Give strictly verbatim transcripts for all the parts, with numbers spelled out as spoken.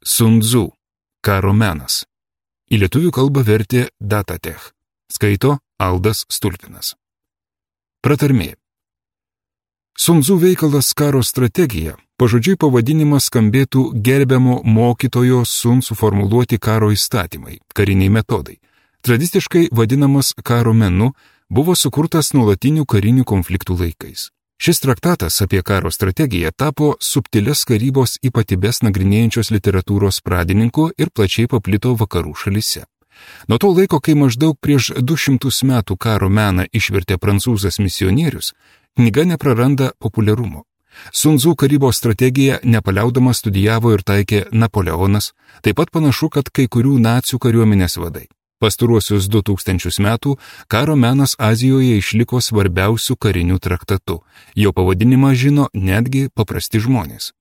Sun Tzu, Karo menas. Į lietuvių kalbą vertė Datatech. Skaito Aldas Stulpinas. Pratarmė. Sun Tzu veikalas Karo strategija, pažodžiui pavadinimas skambėtų gerbiamo mokytojo Sun suformuluoti karo įstatymai, kariniai metodai. Tradiciškai vadinamas karo menu, buvo sukurtas nuolatinių karinių konfliktų laikais. Šis traktatas apie karo strategiją tapo subtilias karybos ypatybes nagrinėjančios literatūros pradininku ir plačiai paplito vakarų šalyse. Nuo to laiko, kai maždaug prieš du šimtus metų karo meną išvertė prancūzas misionierius, knyga nepraranda populiarumo. Sun Tzu karybos strategiją nepaliaudamas studijavo ir taikė Napoleonas, taip pat panašu, kad kai kurių nacių kariuomenės vadai. Pastaruosius du tūkstančius metų karo menas Azijoje išliko svarbiausių karinių traktatų. Jo pavadinimą žino netgi paprasti žmonės.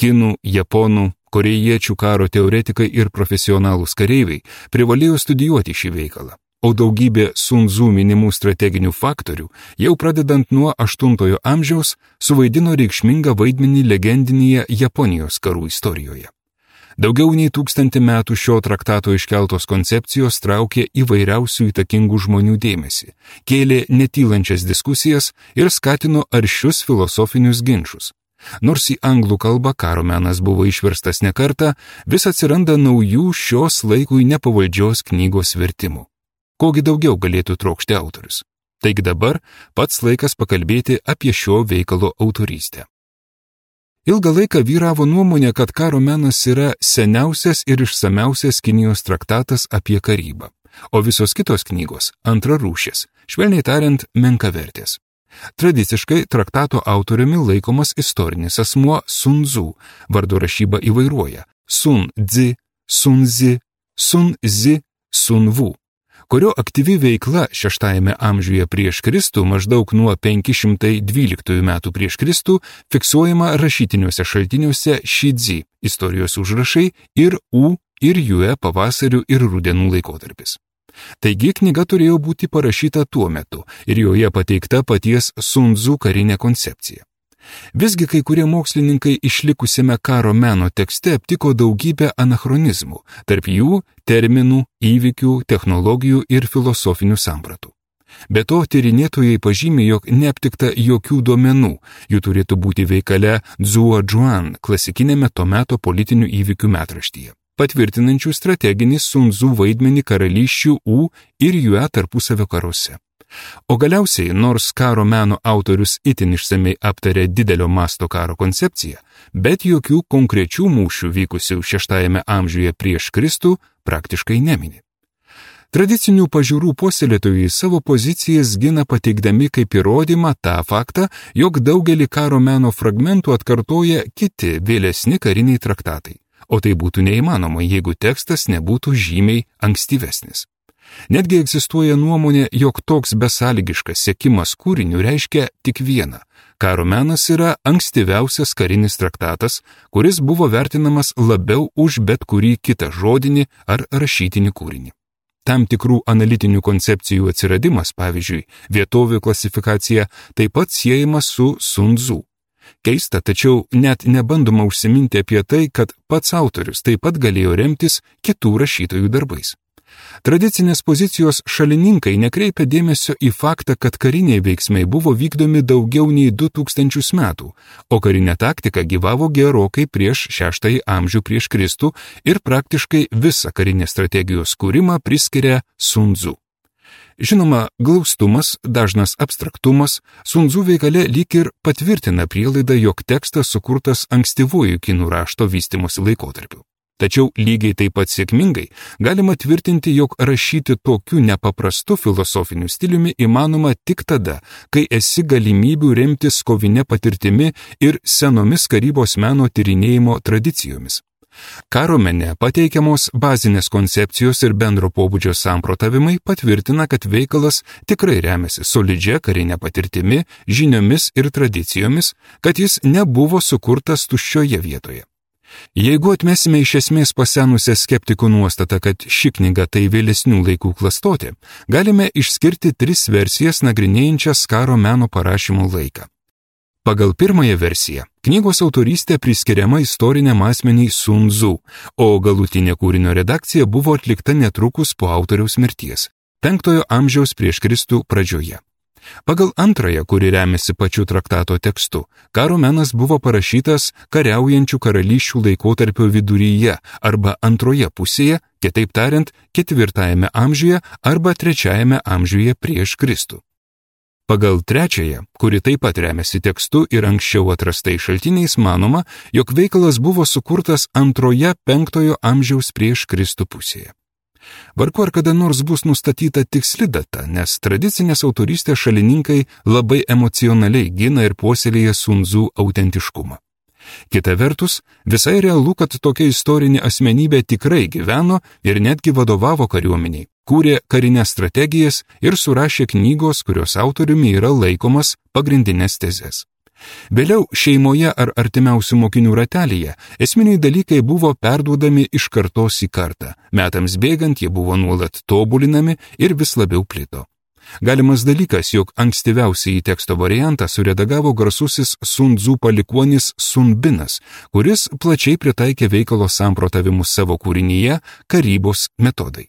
Kinų, japonų, korėjiečių karo teoretikai ir profesionalūs kareiviai privalėjo studijuoti šį veikalą, o daugybė Sun Tzu minimų strateginių faktorių, jau pradedant nuo aštuntojo amžiaus, suvaidino reikšmingą vaidmenį legendinėje Japonijos karų istorijoje. Daugiau nei tūkstantį metų šio traktato iškeltos koncepcijos traukė įvairiausių įtakingų žmonių dėmesį, kėlė netylančias diskusijas ir skatino aršius filosofinius ginčus. Nors į anglų kalbą karo menas buvo išverstas ne kartą, vis atsiranda naujų šios laikui nepavaldžios knygos vertimų. Kogi daugiau galėtų trokšti autorius? Taigi dabar pats laikas pakalbėti apie šio veikalo autorystę. Ilgą laiką vyravo nuomonė, kad karo menas yra seniausias ir išsamiausias Kinijos traktatas apie karybą, o visos kitos knygos antrarūšės, švelniai tariant, menkavertės. Tradiciškai traktato autoriumi laikomas istorinis asmuo Sun Tzu, vardo rašyba įvairuoja Sun Tzu, Sun Zi, Sun Zi, Sun Wu, kurio aktyvi veikla šeštajame amžiuje prieš Kristų, maždaug nuo penki šimtai dvyliktųjų metų prieš Kristų, fiksuojama rašytiniuose šaltiniuose Šidzi, istorijos užrašai, ir U ir Jue pavasarių ir rudenų laikotarpis. Taigi knyga turėjo būti parašyta tuo metu ir joje pateikta paties Sun Tzu karinė koncepcija. Visgi kai kurie mokslininkai išlikusiame karo meno tekste aptiko daugybę anachronizmų, tarp jų terminų, įvykių, technologijų ir filosofinių sampratų. Be to, tyrinėtojai pažymė, jog neaptikta jokių duomenų, jų turėtų būti veikale Zuo Zhuan, klasikinėme to meto politinių įvykių metraštyje, patvirtinančių strateginį Sun Tzu vaidmenį karalysčių U ir Jue tarpusavio karuose. O galiausiai, nors karo meno autorius itin išsamei aptarė didelio masto karo koncepciją, bet jokių konkrečių mūšių vykusių šeštajame amžiuje prieš Kristų praktiškai nemini. Tradicinių pažiūrų puoselėtojai savo pozicijas gina pateikdami kaip įrodymą tą faktą, jog daugelį karo meno fragmentų atkartoja kiti vėlesni kariniai traktatai, o tai būtų neįmanoma, jeigu tekstas nebūtų žymiai ankstyvesnis. Netgi egzistuoja nuomonė, jog toks besąlygiškas sekimas kūriniu reiškia tik vieną. Karo menas yra ankstyviausias karinis traktatas, kuris buvo vertinamas labiau už bet kurį kitą žodinį ar rašytinį kūrinį. Tam tikrų analitinių koncepcijų atsiradimas, pavyzdžiui, vietovių klasifikacija, taip pat siejama su Sun Tzu. Keista, tačiau net nebandoma užsiminti apie tai, kad pats autorius taip pat galėjo remtis kitų rašytojų darbais. Tradicinės pozicijos šalininkai nekreipia dėmesio į faktą, kad kariniai veiksmai buvo vykdomi daugiau nei du tūkstančius metų, o karinė taktika gyvavo gerokai prieš šeštąjį amžių prieš Kristų ir praktiškai visą karinės strategijos kūrimą priskiria Sun Tzu. Žinoma, glaustumas, dažnas abstraktumas, Sun Tzu veikale lyg ir patvirtina prielaidą, jog tekstas sukurtas ankstyvuoju kinų rašto vystymosi laikotarpiu. Tačiau lygiai taip pat sėkmingai galima tvirtinti, jog rašyti tokiu nepaprastu filosofiniu stiliumi įmanoma tik tada, kai esi galimybių remtis kovinė patirtimi ir senomis karybos meno tyrinėjimo tradicijomis. Karo mene pateikiamos bazinės koncepcijos ir bendro pobūdžio samprotavimai patvirtina, kad veikalas tikrai remiasi solidžia karinė patirtimi, žiniomis ir tradicijomis, kad jis nebuvo sukurtas tuščioje vietoje. Jeigu atmesime iš esmės pasenusią skeptikų nuostatą, kad ši knyga tai vėlesnių laikų klastotė, galime išskirti tris versijas nagrinėjančias karo meno parašymo laiką. Pagal pirmąją versiją, knygos autorystė priskiriama istoriniam asmeniai Sun Tzu, o galutinė kūrinio redakcija buvo atlikta netrukus po autoriaus mirties, penktojo amžiaus prieš Kristų pradžioje. Pagal antrąją, kuri remiasi pačiu traktato tekstu, karo menas buvo parašytas kariaujančių karalysčių laikotarpio viduryje arba antroje pusėje, kitaip tariant, ketvirtajame amžiuje arba trečiajame amžiuje prieš Kristų. Pagal trečiąją, kuri taip pat remiasi tekstu ir anksčiau atrastais šaltiniais, manoma, jog veikalas buvo sukurtas antroje penktojo amžiaus prieš Kristų pusėje. Vargu ar kada nors bus nustatyta tiksli data, nes tradicinės autorystės šalininkai labai emocionaliai gina ir puoselėja Sun Tzu autentiškumą. Kita vertus, visai realu, kad tokia istorinė asmenybė tikrai gyveno ir netgi vadovavo kariuomeniai, kūrė karinės strategijas ir surašė knygos, kurios autoriumi yra laikomas pagrindinės tezes. Vėliau šeimoje ar artimiausių mokinių ratelyje esminiai dalykai buvo perduodami iš kartos į kartą, metams bėgant jie buvo nuolat tobulinami ir vis labiau plito. Galimas dalykas, jog ankstyviausiai į teksto variantą suredagavo garsusis Sun Tzu palikuonis Sun Binas, kuris plačiai pritaikė veikalo samprotavimus savo kūrinyje Karybos metodai.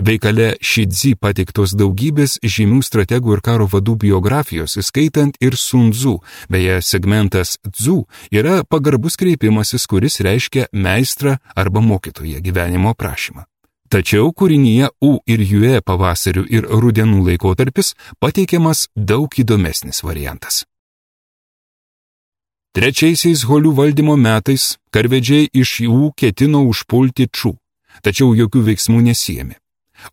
Veikale Šidzi pateiktos daugybės žymių strategų ir karo vadų biografijos, įskaitant ir Sun Tzu, beje, segmentas Tzu yra pagarbus kreipimasis, kuris reiškia meistrą arba mokytoją gyvenimo aprašymą. Tačiau kūrinyje U ir Jue pavasarių ir rudenų laikotarpis pateikiamas daug įdomesnis variantas. Trečiaisiais Holių valdymo metais karvedžiai iš Jų ketino užpulti Ču, tačiau jokių veiksmų nesiėmė.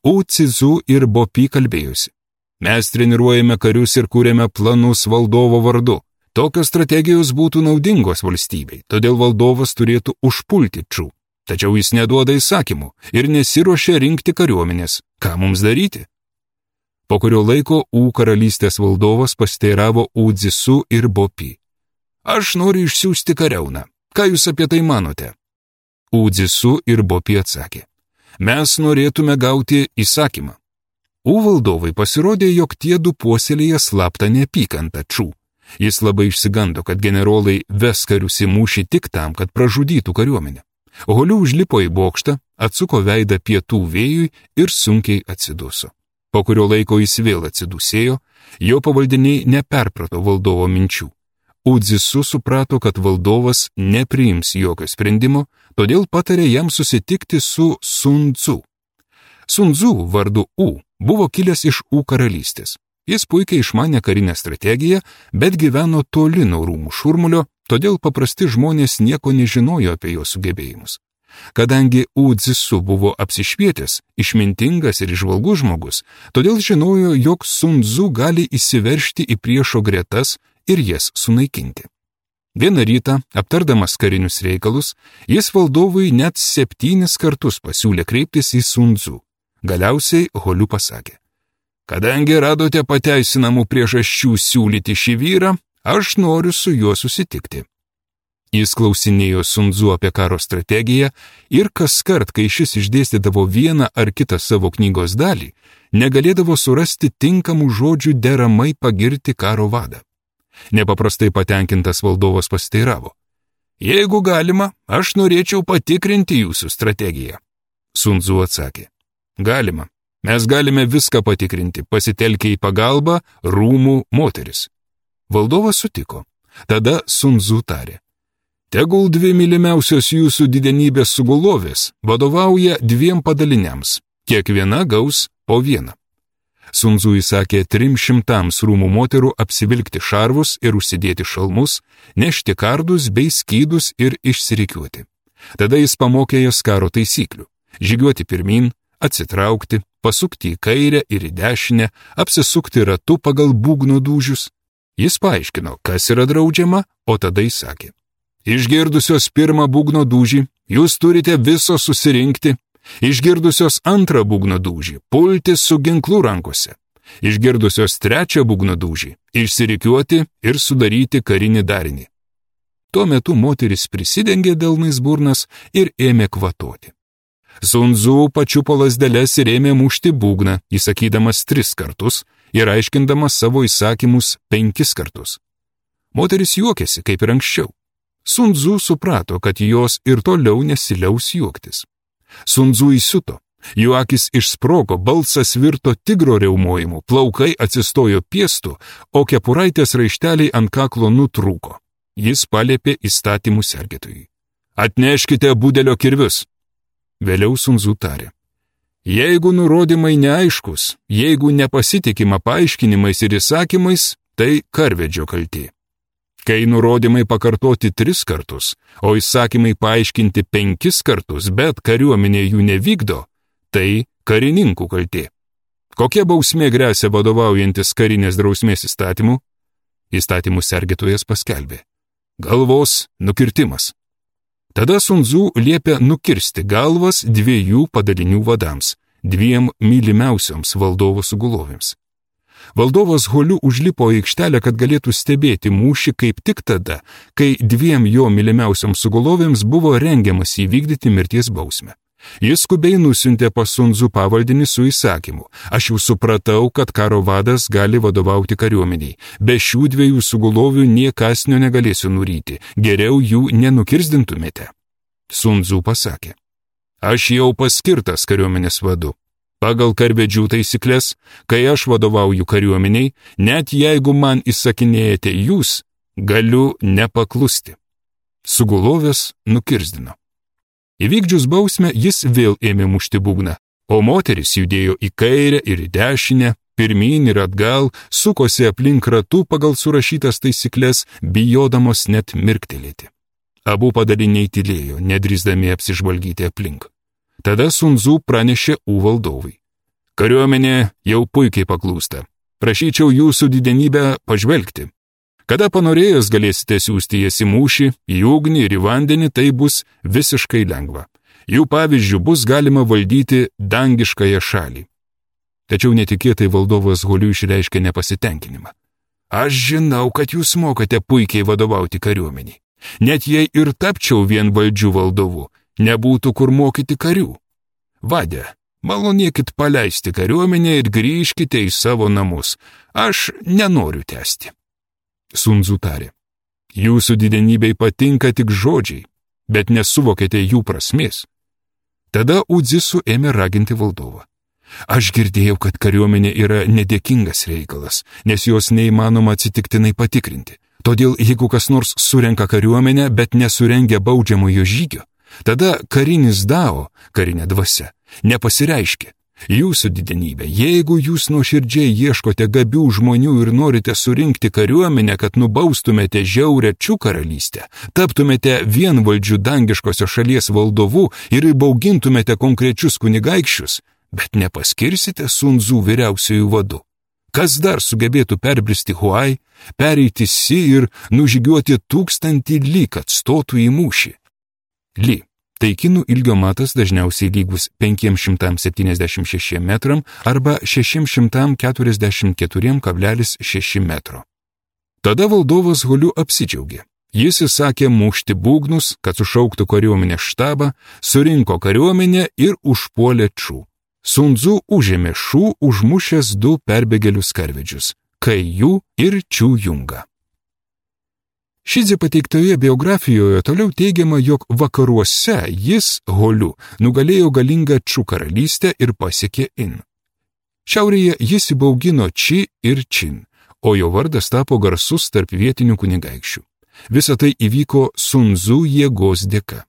U Cizu ir Bopi kalbėjusi. Mes treniruojame karius ir kūrėme planus valdovo vardu. Tokios strategijos būtų naudingos valstybei, todėl valdovas turėtų užpulti Ču. Tačiau jis neduoda įsakymų ir nesiruošia rinkti kariuomenės. Ką mums daryti? Po kurio laiko U karalystės valdovas pasteiravo U Dzisu ir Bopi. Aš noriu išsiųsti kariauną. Ką jūs apie tai manote? U Dzisu ir Bopi atsakė. Mes norėtume gauti įsakymą. U valdovai pasirodė, jog tie du puoselėje slaptą neapykantą Ču. Jis labai išsigando, kad generolai ves karius į mūšį tik tam, kad pražudytų kariuomenę. Holių užlipo į bokštą, atsuko veidą pietų vėjui ir sunkiai atsiduso. Po kurio laiko jis vėl atsidusėjo, jo pavaldiniai neperprato valdovo minčių. U Dzisu suprato, kad valdovas nepriims jokio sprendimo, todėl patarė jam susitikti su Sun Tzu. Sun Tzu vardu U buvo kilęs iš U karalystės. Jis puikiai išmanė karinę strategiją, bet gyveno toli nuo rūmų šurmulio, todėl paprasti žmonės nieko nežinojo apie jo sugebėjimus. Kadangi U Dzisu buvo apsišvietęs, išmintingas ir įžvalgus žmogus, todėl žinojo, jog Sun Tzu gali įsiveržti į priešo gretas ir jas sunaikinti. Vieną rytą, aptardamas karinius reikalus, jis valdovui net septynis kartus pasiūlė kreiptis į Sun Tzu. Galiausiai Holių pasakė: kadangi radote pateisinamų priežasčių siūlyti šį vyrą, aš noriu su juo susitikti. Jis klausinėjo Sun Tzu apie karo strategiją ir kaskart, kai šis išdėstydavo vieną ar kitą savo knygos dalį, negalėdavo surasti tinkamų žodžių deramai pagirti karo vadą. Nepaprastai patenkintas valdovas pasiteiravo: jeigu galima, aš norėčiau patikrinti jūsų strategiją. Sun Tzu atsakė: galima, mes galime viską patikrinti, pasitelkę į pagalbą rūmų moteris. Valdovas sutiko. Tada Sun Tzu tarė: tegul dvi mylimiausios jūsų didenybės sugulovės vadovauja dviem padaliniams, kiekviena gaus po vieną. Sun Tzu įsakė trim šimtams rūmų moterų apsivilkti šarvus ir užsidėti šalmus, nešti kardus bei skydus ir išsirikiuoti. Tada jis pamokė jas karo taisyklių: žygiuoti pirmin, atsitraukti, pasukti į kairę ir į dešinę, apsisukti ratu pagal būgno dūžius. Jis paaiškino, kas yra draudžiama, o tada įsakė: išgirdusios pirmą būgno dūžį, jūs turite viso susirinkti. Išgirdusios antrą būgno dūžį, pulti su ginklu rankose. Išgirdusios trečią būgno dūžį, išsirikiuoti ir sudaryti karinį darinį. Tuo metu moteris prisidengė delnais burnas ir ėmė kvatoti. Sun Tzu pačiupo lazdeles ir ėmė mušti būgną, įsakydamas tris kartus ir aiškindamas savo įsakymus penkis kartus. Moteris juokėsi, kaip ir anksčiau. Sun Tzu suprato, kad jos ir toliau nesiliaus juoktis. Sun Tzu įsiuto. Jo akis išsprogo, balsas virto tigro riaumojimu, plaukai atsistojo piestu, o kepuraitės raišteliai ant kaklo nutrūko. Jis paliepė įstatymų sergėtojui. Atneškite budelio kirvius. Vėliau Sun Tzu tarė. Jeigu nurodymai neaiškus, jeigu nepasitikima paaiškinimais ir įsakymais, tai karvedžio kaltė. Kai nurodymai pakartoti tris kartus, o įsakymai paaiškinti penkis kartus, bet kariuomenė jų nevykdo, tai karininkų kaltė. Kokia bausmė gresia vadovaujantis karinės drausmės įstatymu? Įstatymų sergėtojas paskelbė. Galvos nukirtimas. Tada Sun Tzu liepė nukirsti galvas dviejų padalinių vadams, dviem mylimiausioms valdovo sugulovėms. Valdovas Holiu užlipo į aikštelę, kad galėtų stebėti mūšį kaip tik tada, kai dviem jo mylimiausioms sugulovėms buvo rengiamas įvykdyti mirties bausmę. Jis skubiai nusiuntė pas Sun Tzu pavaldinį su įsakymu. Aš jau supratau, kad karo vadas gali vadovauti kariuomeniai. Be šių dviejų sugulovių nie kasnio negalėsiu nuryti. Geriau jų nenukirzdintumėte. Sun Tzu pasakė. Aš jau paskirtas kariuomenės vadu. Pagal karvedžių taisyklės, kai aš vadovauju kariuomeniai, net jeigu man įsakinėjate jūs, galiu nepaklusti. Sugulovės nukirzdino. Įvykdžius bausmę jis vėl ėmė mušti būgną, o moteris judėjo į kairę ir į dešinę, pirmyn ir atgal, sukosi aplink ratų pagal surašytas taisyklės, bijodamos net mirktelėti. Abu padaliniai tylėjo, nedrįsdami apsižvalgyti aplink. Tada Sun Tzu pranešė U valdovui. Kariuomenė jau puikiai paklūsta. Prašyčiau jūsų didenybę pažvelgti. Kada panorėjus galėsite siųsti jas į mūšį, į ugnį ir į vandenį, tai bus visiškai lengva. Jų pavyzdžių bus galima valdyti dangiškąją šalį. Tačiau netikėtai valdovas Holiu išreiškė nepasitenkinimą. Aš žinau, kad jūs mokate puikiai vadovauti kariuomeniai. Net jei ir tapčiau vienvaldžių valdovu, nebūtų kur mokyti karių. Vade, malonėkit paleisti kariuomenę ir grįžkite į savo namus. Aš nenoriu tęsti. Sun Tzu tarė. Jūsų didenybei patinka tik žodžiai, bet nesuvokėte jų prasmės. Tada Udzisu ėmė raginti valdovą. Aš girdėjau, kad kariuomenė yra nedėkingas reikalas, nes jos neįmanoma atsitiktinai patikrinti. Todėl jeigu kas nors surenka kariuomenę, bet nesurengia baudžiamojo žygio, tada karinis dao, karinė dvasia, nepasireiškia. Jūsų didenybė, jeigu jūs nuoširdžiai ieškote gabių žmonių ir norite surinkti kariuomenę, kad nubaustumėte žiaurę Čiu karalystę, taptumėte vienvaldžių dangiškosios šalies valdovu ir įbaugintumėte konkrečius kunigaikščius, bet nepaskirsite Sun Tzu vyriausiųjų vadu. Kas dar sugebėtų perbristi Huai, pereiti Si ir nužygiuoti tūkstantį Li, kad stotų į mūšį? Li. Tai kinų ilgio matas dažniausiai lygus penki šimtai septyniasdešimt šeši metram arba šeši šimtai keturiasdešimt keturi kablelis šeši metro. Tada valdovas Holiu apsidžiaugė. Jis įsakė mušti būgnus, kad sušauktų kariuomenės štabą, surinko kariuomenę ir užpuolė Čiu. Sun Tzu užėmė Šu, užmušęs du perbėgėlius karvedžius – Kaiju ir Čiu Jungą. Šidzi pateiktoje biografijoje toliau teigiama, jog vakaruose jis, Holiu, nugalėjo galingą Čiu karalystę ir pasiekė In. Šiaurėje jis įbaugino Či ir Čin, o jo vardas tapo garsus tarp vietinių kunigaikščių. Visa tai įvyko Sun Tzu jėgos dėka.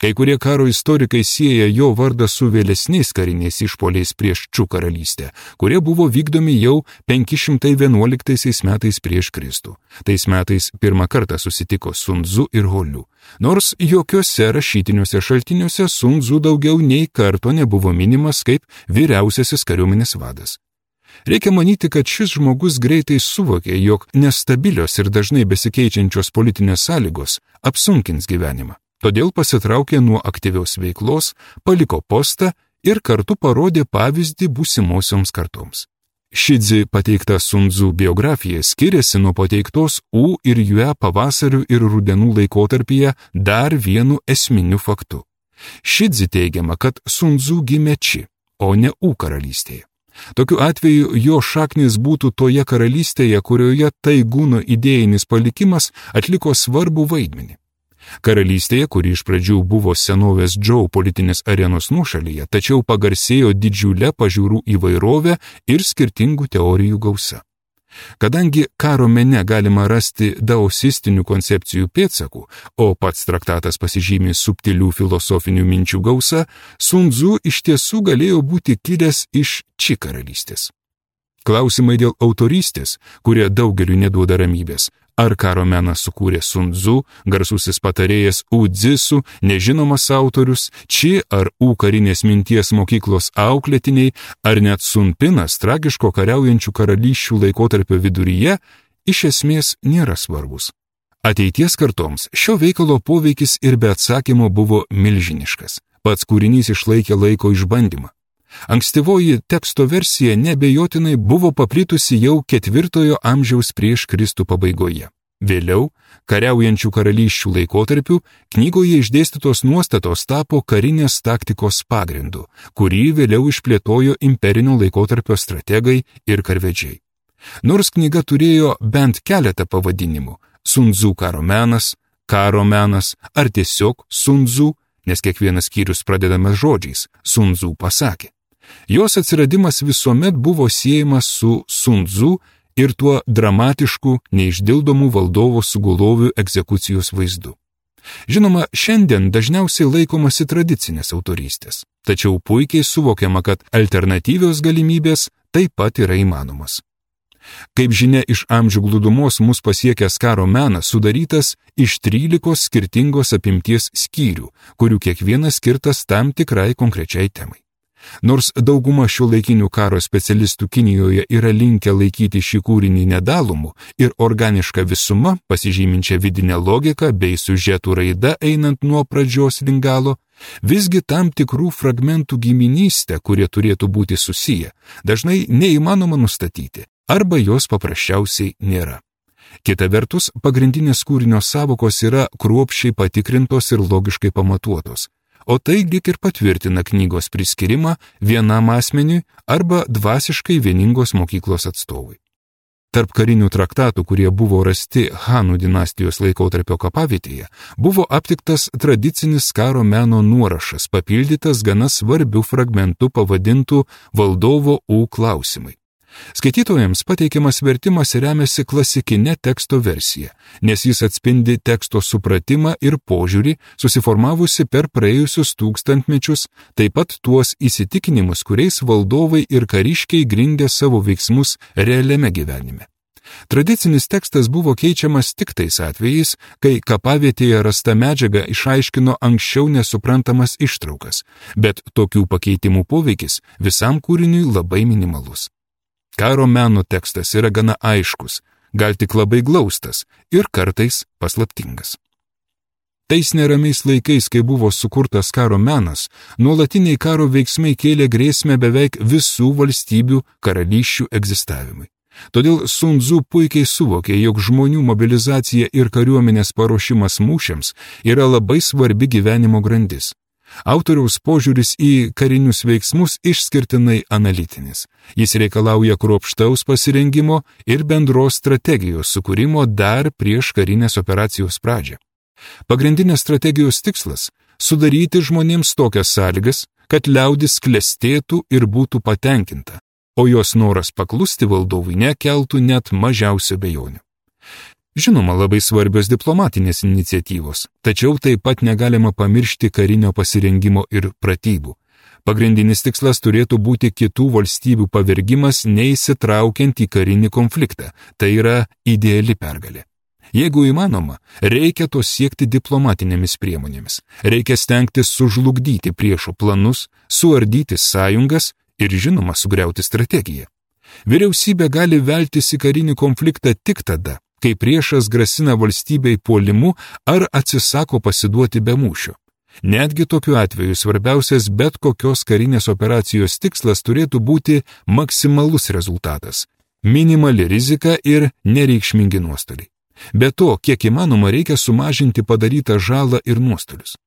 Kai kurie karo istorikai sieja jo vardą su vėlesniais kariniais išpuoliais prieš Čiu karalystę, kurie buvo vykdomi jau penki šimtai vienuoliktaisiais metais prieš Kristų. Tais metais pirmą kartą susitiko Sun Tzu ir Holiu, nors jokiuose rašytiniuose šaltiniuose Sun Tzu daugiau nei karto nebuvo minimas kaip vyriausiasis kariuomenės vadas. Reikia manyti, kad šis žmogus greitai suvokė, jog nestabilios ir dažnai besikeičiančios politinės sąlygos apsunkins gyvenimą. Todėl pasitraukė nuo aktyvios veiklos, paliko postą ir kartu parodė pavyzdį būsimosioms kartoms. Šidzi pateikta Sun Tzu biografija skiriasi nuo pateiktos U ir Jue pavasarių ir rudenų laikotarpyje dar vienu esminiu faktu. Šidzi teigiama, kad Sun Tzu gimė Či, o ne U karalystėje. Tokiu atveju jo šaknis būtų toje karalystėje, kurioje Taigūno idėjinis palikimas atliko svarbų vaidmenį. Karalystėje, kuri iš pradžių buvo senovės Džou politinės arenos nuošalyje, tačiau pagarsėjo didžiulę pažiūrų įvairovę ir skirtingų teorijų gausa. Kadangi karo mene galima rasti daosistinių koncepcijų pėdsakų, o pats traktatas pasižymė subtilių filosofinių minčių gausa, Sun Tzu iš tiesų galėjo būti kilęs iš Či karalystės. Klausimai dėl autorystės, kurie daugeliu neduoda ramybės. Ar karo meną sukūrė Sun Tzu, garsusis patarėjas U Dzisu, nežinomas autorius, Či ar U karinės minties mokyklos auklėtiniai, ar net Sun Pinas tragiško kariaujančių karalysčių laikotarpio viduryje, iš esmės nėra svarbus. Ateities kartoms šio veikalo poveikis ir be atsakymo buvo milžiniškas. Pats kūrinys išlaikė laiko išbandymą. Ankstyvoji teksto versija nebejotinai buvo paplitusi jau ketvirtojo amžiaus prieš Kristų pabaigoje. Vėliau, kariaujančių karalysčių laikotarpiu, knygoje išdėstytos nuostatos tapo karinės taktikos pagrindu, kurį vėliau išplėtojo imperinio laikotarpio strategai ir karvedžiai. Nors knyga turėjo bent keletą pavadinimų – Sun Tzu karo menas, karo menas ar tiesiog Sun Tzu, nes kiekvienas skyrius pradedamas žodžiais Sun Tzu pasakė. Jos atsiradimas visuomet buvo siejamas su Sun Tzu ir tuo dramatišku, neišdildomų valdovo sugulovių egzekucijos vaizdu. Žinoma, šiandien dažniausiai laikomasi tradicinės autorystės, tačiau puikiai suvokiama, kad alternatyvios galimybės taip pat yra įmanomos. Kaip žinia, iš amžių glūdumos mus pasiekęs karo menas sudarytas iš trylikos skirtingos apimties skyrių, kurių kiekvienas skirtas tam tikrai konkrečiai temai. Nors dauguma šiuolaikinių karo specialistų Kinijoje yra linkę laikyti šį kūrinį nedalomų ir organišką visumą, pasižyminčią vidinę logiką bei siužetų raida einant nuo pradžios link galo, visgi tam tikrų fragmentų giminystę, kurie turėtų būti susiję, dažnai neįmanoma nustatyti, arba jos paprasčiausiai nėra. Kita vertus, pagrindinės kūrinio savokos yra kruopščiai patikrintos ir logiškai pamatuotos, o tai lyg ir patvirtina knygos priskirimą vienam asmeniui arba dvasiškai vieningos mokyklos atstovui. Tarp karinių traktatų, kurie buvo rasti Hanų dinastijos laikotarpio kapavietėje, buvo aptiktas tradicinis karo meno nuorašas, papildytas gana svarbių fragmentų pavadintų valdovo U klausimai. Skaitytojams pateikiamas vertimas remiasi klasikinė teksto versija, nes jis atspindi teksto supratimą ir požiūrį, susiformavusi per praėjusius tūkstantmečius, taip pat tuos įsitikinimus, kuriais valdovai ir kariškiai grindė savo veiksmus realiame gyvenime. Tradicinis tekstas buvo keičiamas tik tais atvejais, kai kapavietėje rasta medžiaga išaiškino anksčiau nesuprantamas ištraukas, bet tokių pakeitimų poveikis visam kūriniui labai minimalus. Karo meno tekstas yra gana aiškus, gal tik labai glaustas ir kartais paslaptingas. Tais neramiais laikais, kai buvo sukurtas karo menas, nuolatiniai karo veiksmai kėlė grėsmę beveik visų valstybių karalysčių egzistavimui. Todėl Sun Tzu puikiai suvokė, jog žmonių mobilizacija ir kariuomenės paruošimas mūšiams yra labai svarbi gyvenimo grandis. Autoriaus požiūris į karinius veiksmus išskirtinai analitinis. Jis reikalauja kruopštaus pasirengimo ir bendros strategijos sukūrimo dar prieš karinės operacijos pradžią. Pagrindinės strategijos tikslas – sudaryti žmonėms tokias sąlygas, kad liaudis klestėtų ir būtų patenkinta, o jos noras paklusti valdovui nekeltų net mažiausio abejonių. Žinoma, labai svarbios diplomatinės iniciatyvos, tačiau taip pat negalima pamiršti karinio pasirengimo ir pratybų. Pagrindinis tikslas turėtų būti kitų valstybių pavergimas neįsitraukiant į karinį konfliktą, tai yra ideali pergalė. Jeigu įmanoma, reikia to siekti diplomatinėmis priemonėmis, reikia stengtis sužlugdyti priešo planus, suardyti sąjungas ir žinoma sugriauti strategiją. Vyriausybė gali veltis į karinį konfliktą tik tada, kai priešas grasina valstybei puolimu ar atsisako pasiduoti be mūšio. Netgi tokiu atveju svarbiausias bet kokios karinės operacijos tikslas turėtų būti maksimalus rezultatas, minimali rizika ir nereikšmingi nuostoliai. Be to, kiek įmanoma reikia sumažinti padarytą žalą ir nuostolius.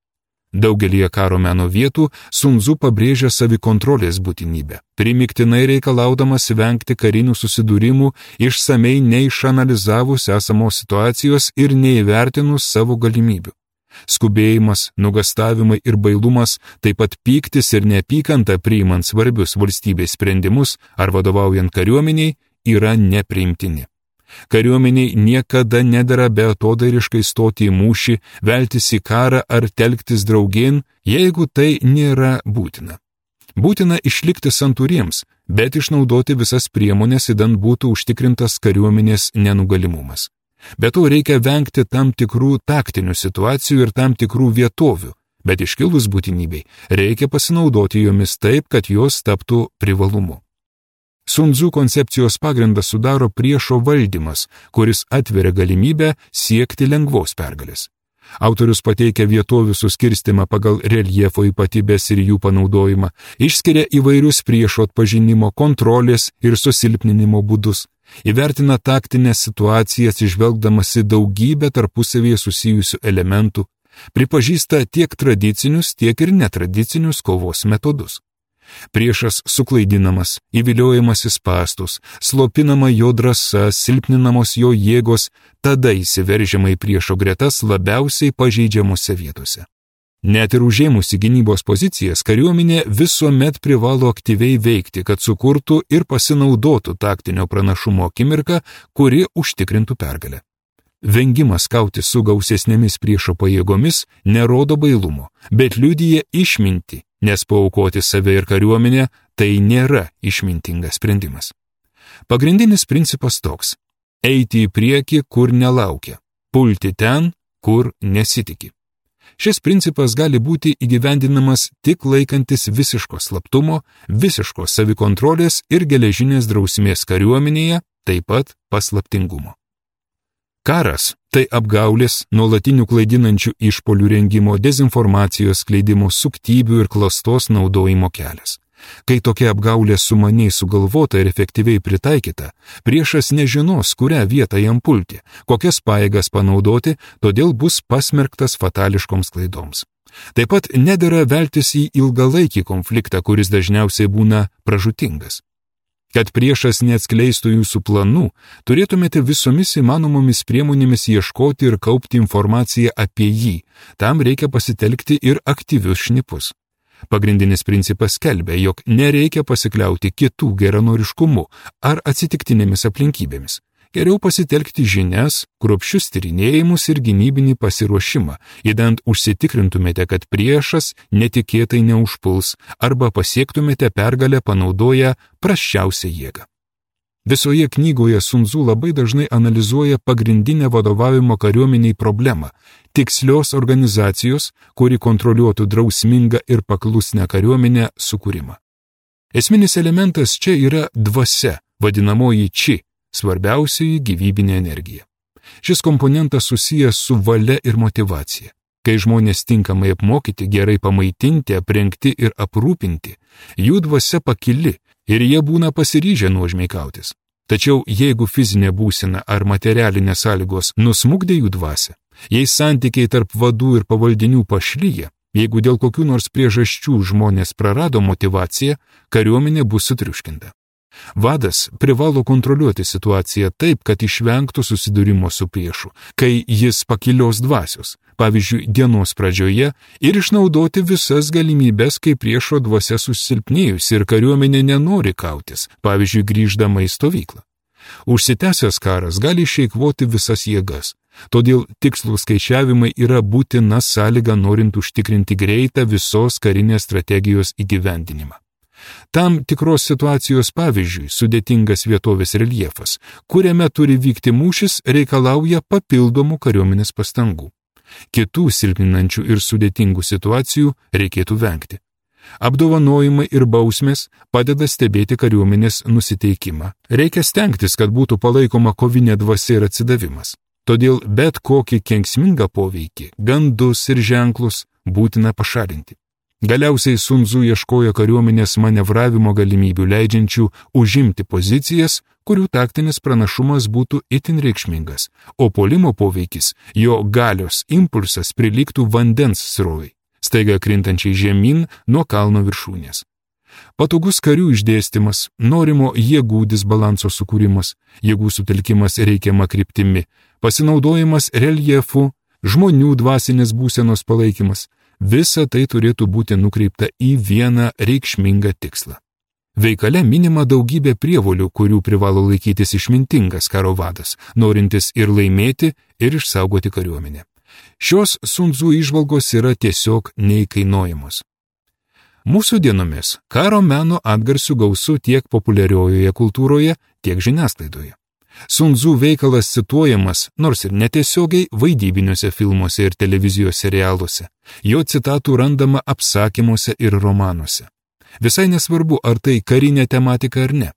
Daugelį karo meno vietų Sun Tzu pabrėžia savikontrolės būtinybę, primiktinai reikalaudamas vengti karinių susidūrimų, išsamei neišanalizavus esamos situacijos ir neįvertinus savo galimybių. Skubėjimas, nugastavimai ir bailumas, taip pat pyktis ir neapykanta priimant svarbius valstybės sprendimus ar vadovaujant kariuomeniai yra nepriimtini. Kariuomeniai niekada nedera beatodairiškai stoti į mūšį, veltis į karą ar telktis draugėn, jeigu tai nėra būtina. Būtina išlikti santūriems, bet išnaudoti visas priemonės, idant būtų užtikrintas kariuomenės nenugalimumas. Be to reikia vengti tam tikrų taktinių situacijų ir tam tikrų vietovių, bet iškilus būtinybei reikia pasinaudoti jomis taip, kad jos taptų privalumu. Sun Tzu koncepcijos pagrindą sudaro priešo valdymas, kuris atveria galimybę siekti lengvos pergalės. Autorius pateikia vietovių suskirstimą pagal reljefo ypatybės ir jų panaudojimą, išskiria įvairius priešo atpažinimo, kontrolės ir susilpninimo būdus, įvertina taktinės situacijas išvelgdamas į daugybę tarpusavėje susijusių elementų, pripažįsta tiek tradicinius, tiek ir netradicinius kovos metodus. Priešas suklaidinamas, įviliojamas į spąstus, slopinama jo drąsa, silpninamos jo jėgos, tada įsiveržiama į priešo gretas labiausiai pažeidžiamose vietose. Net ir užėmusi gynybos pozicijas, kariuomenė visuomet privalo aktyviai veikti, kad sukurtų ir pasinaudotų taktinio pranašumo akimirką, kuri užtikrintų pergalę. Vengimas kautis su gausesnėmis priešo pajėgomis nerodo bailumo, bet liudija išmintį, nes paaukoti save ir kariuomenę tai nėra išmintingas sprendimas. Pagrindinis principas toks – eiti į priekį, kur nelaukia, pulti ten, kur nesitiki. Šis principas gali būti įgyvendinamas tik laikantis visiško slaptumo, visiškos savikontrolės ir geležinės drausmės kariuomenėje, taip pat paslaptingumo. Karas – tai apgaulės, nuolatinių klaidinančių išpolių rengimo, dezinformacijos skleidimo, suktybių ir klastos naudojimo kelias. Kai tokia apgaulė sumaniai sugalvota ir efektyviai pritaikyta, priešas nežinos, kurią vietą jam pulti, kokias pajėgas panaudoti, todėl bus pasmerktas fatališkoms klaidoms. Taip pat nedera veltis į ilgalaikį konfliktą, kuris dažniausiai būna pražūtingas. Kad priešas neatskleistų jūsų planų, turėtumėte visomis įmanomomis priemonėmis ieškoti ir kaupti informaciją apie jį. Tam reikia pasitelkti ir aktyvius šnipus. Pagrindinis principas skelbia, jog nereikia pasikliauti kitų geranoriškumu ar atsitiktinėmis aplinkybėmis. Geriau pasitelkti žinias, kruopščius tyrinėjimus ir gynybinį pasiruošimą, idant užsitikrintumėte, kad priešas netikėtai neužpuls arba pasiektumėte pergalę panaudoję prasčiausią jėgą. Visoje knygoje Sun Tzu labai dažnai analizuoja pagrindinę vadovavimo kariuomeniai problemą – tikslios organizacijos, kuri kontroliuotų drausmingą ir paklusnią kariuomenę sukūrimą. Esminis elementas čia yra dvasia, vadinamoji či, svarbiausioji gyvybinė energija. Šis komponentas susijęs su valia ir motyvacija. Kai žmonės tinkamai apmokyti, gerai pamaitinti, aprengti ir aprūpinti, jų dvasia pakili ir jie būna pasiryžę nuožmiai kautis. Tačiau jeigu fizinė būsena ar materialinės sąlygos nusmukdė jų dvasią, jei santykiai tarp vadų ir pavaldinių pašlyja, jeigu dėl kokių nors priežasčių žmonės prarado motyvaciją, kariuomenė bus sutriuškinta. Vadas privalo kontroliuoti situaciją taip, kad išvengtų susidūrimo su priešu, kai jis pakilios dvasios, pavyzdžiui, dienos pradžioje, ir išnaudoti visas galimybės, kai priešo dvasia susilpnėjusi ir kariuomenė nenori kautis, pavyzdžiui, grįždama į stovyklą. Užsitęsęs karas gali išeikvoti visas jėgas, todėl tikslų skaičiavimai yra būtina sąlyga norint užtikrinti greitą visos karinės strategijos įgyvendinimą. Tam tikros situacijos pavyzdžiui, sudėtingas vietovės reljefas, kuriame turi vykti mūšis, reikalauja papildomų kariuomenės pastangų. Kitų silpninančių ir sudėtingų situacijų reikėtų vengti. Apdovanojimai ir bausmės padeda stebėti kariuomenės nusiteikimą. Reikia stengtis, kad būtų palaikoma kovinė dvasia ir atsidavimas. Todėl bet kokį kenksmingą poveikį, gandus ir ženklus būtina pašalinti. Galiausiai Sun Tzu ieškojo kariuomenės manevravimo galimybių leidžiančių užimti pozicijas, kurių taktinis pranašumas būtų itin reikšmingas, o puolimo poveikis, jo galios impulsas prilygtų vandens srovei. staiga krintančiai žemyn nuo kalno viršūnės. Patogus karių išdėstymas, norimo jėgų disbalanso sukūrimas, jėgų sutelkimas reikiama kryptimi, pasinaudojimas reljefu, žmonių dvasinės būsenos palaikymas – visa tai turėtų būti nukreipta į vieną reikšmingą tikslą. Veikale minima daugybė prievolių, kurių privalo laikytis išmintingas karo vadas, norintis ir laimėti, ir išsaugoti kariuomenę. Šios Sun Tzu įžvalgos yra tiesiog neįkainojamos. Mūsų dienomis karo meno atgarsių gausu tiek populiariojoje kultūroje, tiek žiniasklaidoje. Sun Tzu veikalas cituojamas, nors ir netiesiogiai, vaidybiniuose filmuose ir televizijos serialuose. Jo citatų randama apsakymuose ir romanuose. Visai nesvarbu, ar tai karinė tematika ar ne.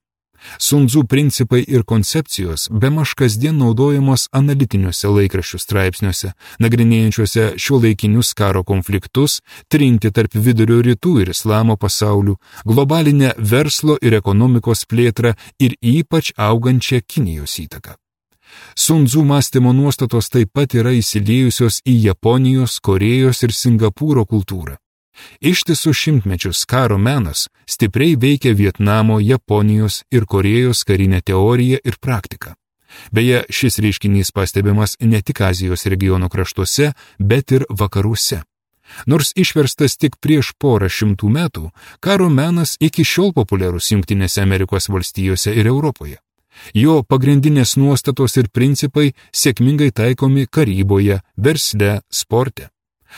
Sun Tzu principai ir koncepcijos bemaž kasdien naudojamos analitiniuose laikraščių straipsniuose, nagrinėjančiuose šiuolaikinius karo konfliktus, trinti tarp vidurio rytų ir islamo pasaulių, globalinę verslo ir ekonomikos plėtrą ir ypač augančią Kinijos įtaką. Sun Tzu mąstymo nuostatos taip pat yra įsiliejusios į Japonijos, Korėjos ir Singapūro kultūrą. Ištisus šimtmečius karo menas stipriai veikia Vietnamo, Japonijos ir Korėjos karinę teoriją ir praktiką. Beje, šis reiškinys pastebimas ne tik Azijos regiono kraštuose, bet ir vakaruose. Nors išverstas tik prieš porą šimtų metų, karo menas iki šiol populiarus Jungtinėse Amerikos valstijose ir Europoje. Jo pagrindinės nuostatos ir principai sėkmingai taikomi karyboje, versle, sporte.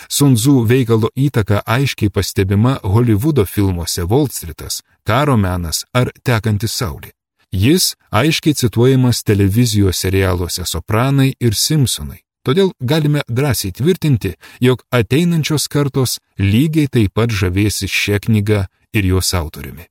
Sun Tzu veikalo įtaka aiškiai pastebima Holivudo filmuose Wall Streetas, Karo menas ar Tekanti saulė. Jis aiškiai cituojamas televizijos serialuose Sopranai ir Simpsonai. Todėl galime drąsiai tvirtinti, jog ateinančios kartos lygiai taip pat žavėsis šia knyga ir jos autoriumi.